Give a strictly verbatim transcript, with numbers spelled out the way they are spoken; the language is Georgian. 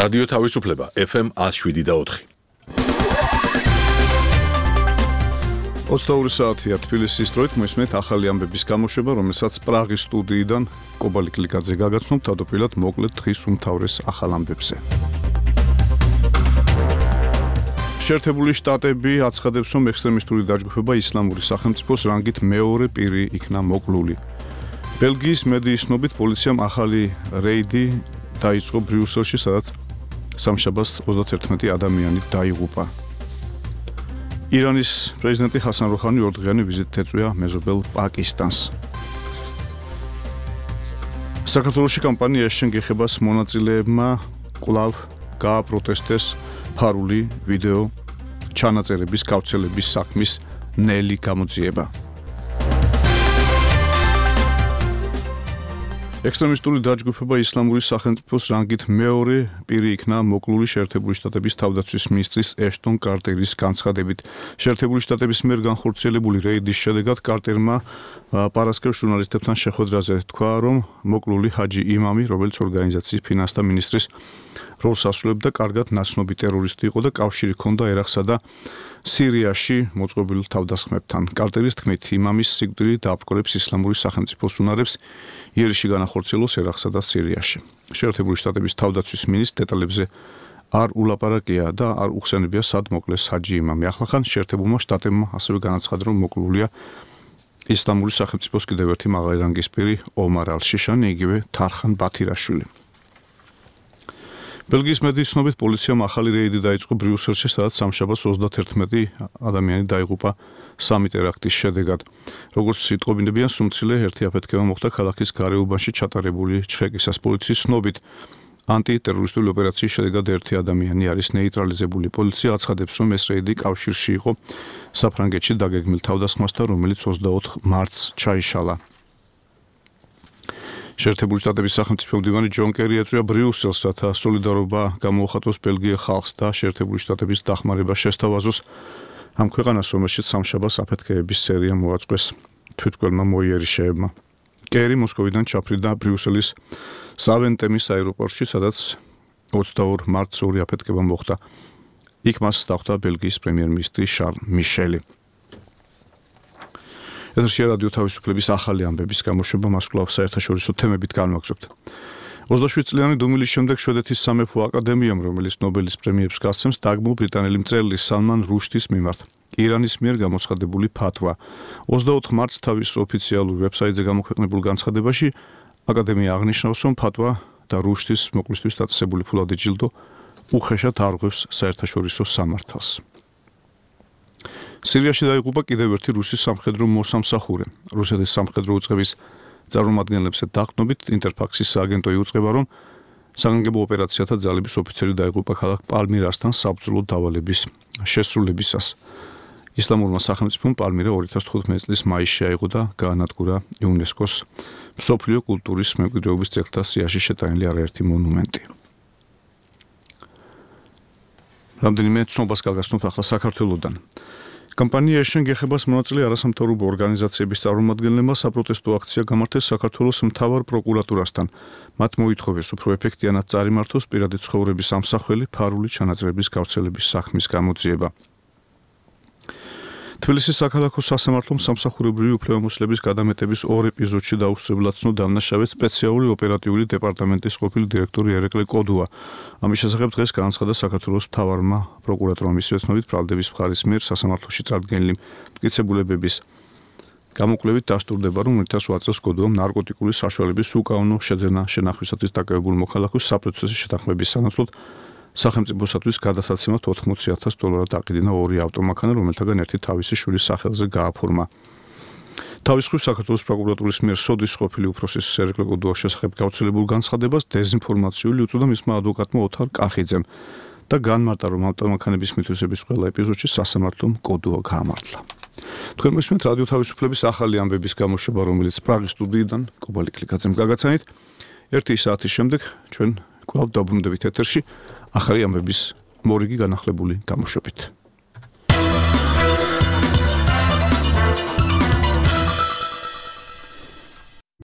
რადიო თავისუფლება ეფ ემ ათს შვიდი და ოთხი. ოცდაორი საათია თბილისის დროით მოისმენთ ახალი ამბების გამოშვება, რომელსაც პრაღის სტუდიიდან კობალი კლიკაძე გაგაცნობთ თავდაპირველად მოკლედ დღის უმთავრეს ახალ ამბებზე. შეერთებული შტატები აცხადებს, რომ ექსტრემისტული დაჯგუფება ისლამური სახელმწიფოს რანგით მეორე პირი იქნა მოკლული. ბელგიის მედიის ცნობით პოლიციამ ახალი რეიდი დაიწყო ბრიუსელში, სადაც სამშაბათს ოცდაერთმეტი ადამიანი დაიღუპა. ირანის პრეზიდენტი ჰასან როჰანი ორდღიანი ვიზიტით ეწვია მეზობელ პაკისტანს. საქართველოში კამპანიაში შენგეხებას მონაწილეებმა კვლავ გააპროტესტეს ფარული ვიდეო ჩანაწერების გავრცელების საქმის ნელი გამოძიება. ექსტრემისტული დაჯგუფება ისლამური სახელმწიფოს რანგით მეორე პირი იქნა მოკლული შეერთებული შტატების თავდაცვის მინისტრის ეშტონ კარტერის განცხადებით. შეერთებული შტატების მიერ განხორციელებული რეიდის შედეგად კარტერმა პარასკევს ჟურნალისტებთან შეხვედრაზე თქვა, რომ მოკლული ჰაჯი იმამი, რომელიც ორგანიზაციის ფინანსთა მინისტრის როლს ასრულებდა, კარგად ნაცნობი ტერორისტი იყო და კავშირი ჰქონდა ერაყსა და სირიაში მოწყობილ თავდასხმებთან. კარტერის თქმით, იმამის სიკვდილი დააბრკოლებს ისლამური სახელმწიფოს უნარებს იერიში განახორციელოს ერაყსა და სირიაში. შეერთებული შტატების თავდაცვის მინისტრს დეტალებზე არ ულაპარაკია და არ უხსენებია, სად მოკლეს ჰაჯი იმამი. ახლახან შეერთებულმა შტატებმა ასევე განაცხადა, რომ მოკლულია ისლამური სახელმწიფოს კიდევ ერთი მაღალი რანგის პირი ომარ ალ-შიშანი, იგივე თარხან ბათირაშვილი. ბელგიის მედიის ცნობით პოლიციამ ახალი რეიდი დაიწყო ბრიუსელში, სადაც სამშაბათს ოცდაერთმეტი ადამიანი დაიღუპა სამი ტერაქტის შედეგად. როგორც იტყობინებიან, სუმცილე ერთი აფეთქება მოხდა ქალაქის გარეუბანში ჩატარებული ჩხეკისას. პოლიციის ცნობით ანტიტერორისტული ოპერაციის შედეგად ერთი ადამიანი არის ნეიტრალიზებული. პოლიცია აცხადებს, რომ ეს რეიდი კავშირში იყო საფრანგეთში დაგეგმილ თავდასხმასთან, რომელიც ოცდაოთხ მარტს ჩაიშალა. შეერთებული შტატების სახელმწიფო მდივანი ჯონ კერი ეწვია ბრიუსელს, რათა სოლიდარობა გამოუხატოს ბელგიელ ხალხს და შეერთებული შტატების დახმარება შესთავაზოს ამ ქვეყანას, რომელშიც სამშაბათს აფეთქებების სერია მოაწყვეს თვითმკვლელმა მოიერიშეებმა. კერი მოსკოვიდან ჩაფრიდა ბრიუსელის სავენტემის აეროპორტში, სადაც ოცდაორ მარტს ორი აფეთქება მოხდა. იქ მას დახვდა ბელგიის პრემიერ-მინისტრი შარლ მიშელი. ეთერშია რადიო თავისუფლების ახალი ამბების გამოშვება, მას კვლავ საერთაშორისო თემებით განვაგრძობთ. ოცდაშვიდ წლიანი დუმილის შემდეგ შვედეთის სამეფო აკადემიამ, რომელიც ნობელის პრემიებს გასცემს, დაგმო ბრიტანელი მწერლის სალმან რუშდის მიმართ ირანის მიერ გამოცხადებული ფათვა. ოცდაოთხ მარტს თავის ოფიციალურ ვებსაიტზე გამოქვეყნებულ განცხადებაში აკადემია აღნიშნავს, რომ ფათვა და რუშდის მოკლისთვის დაწესებული ფულადი ჯილდო უხეშად არღვევს საერთაშორისო სამართალს. სირიაში დაიღუპა კიდევ ერთი რუსი სამხედრო მოსამსახურე. რუსეთის სამხედრო უწყების წარმომადგენლებზე დაყრდნობით ინტერფაქსის სააგენტო იუწყება, რომ საგანგებო ოპერაციათა ძალების ოფიცერი დაიღუპა ქალაქ პალმირასთან საბრძოლო დავალების შესრულებისას. ისლამურმა სახელმწიფომ პალმირა ორი ათას თხუთმეტი წლის მაისში აიღო და გაანადგურა იუნესკოს მსოფლიო კულტურის მემკვიდრეობის ძეგლთა სიაში შეტანილი არაერთი მონუმენტი. რამდენიმე ცნობას გაგაცნობთ ახლა საქართველოდან. კამპანიაში შენგეხებას მონაწილე არასამთავრობო ორგანიზაციების წარმომადგენლებმა საპროტესტო აქცია გამართეს საქართველოს მთავარ პროკურატურასთან. მათ მოითხოვეს უფრო ეფექტიანად წარიმართოს პირადი ცხოვრების ამსახველი ფარული ჩანაწერების გავრცელების საქმის გამოძიება. თბილისის საქალაქო სასამართლომ სამსახურებრივი უფლებამოსილების გადამეტების ორ ეპიზოდში დაუსწრებლად ცნო დამნაშავედ სპეციალური ოპერატიული დეპარტამენტის ყოფილი დირექტორი ერეკლე კოდუა. ამის შესახებ დღეს განაცხადა საქართველოს მთავარმა პროკურატურამ, ისევე ცნობით ბრალდების მხარის მიერ სასამართლოში წარდგენილი მტკიცებულებების გამოკვლევით დასტურდება, რომ ერთ ათას ოთხ წელს კოდუამ ნარკოტიკული საშუალების უკანონო შეძენა შენახვისათვის დაკავებულ მოქალაქოს საპროცესო შეთანხმების სანაცვლოდ სახელმწიფოსათვის გადასაცემად ოთხმოცი ათას დოლარად აყიდინა ორი ავტომანქანა, რომელთაგან ერთი თავისი შვილის სახელზე გააფორმა. თავის მხრივ საქართველოს პროკურატურის მიერ სოდის ყოფილი უფროსის ერეკლე კოდუას შესახებ გავრცელებულ განცხადებას დეზინფორმაციული უწოდა მისმა ადვოკატმა ოთარ კახიძემ და განმარტა, რომ ავტომანქანების მითვისების ყველა ეპიზოდში სასამართლომ კოდუა გაამართლა. თქვენ მოსმენთ რადიო თავისუფლების ახალი ამბების გამოშვება, რომელიც პრაღის სტუდიიდან კობალი კლიკაძემ გაგაცანით. ერთი საათის შემდეგ ჩვენ კვლავ დაბრუნდებით ეთერში ახალი ამბების მორიგი განახლებული გამოშვებით.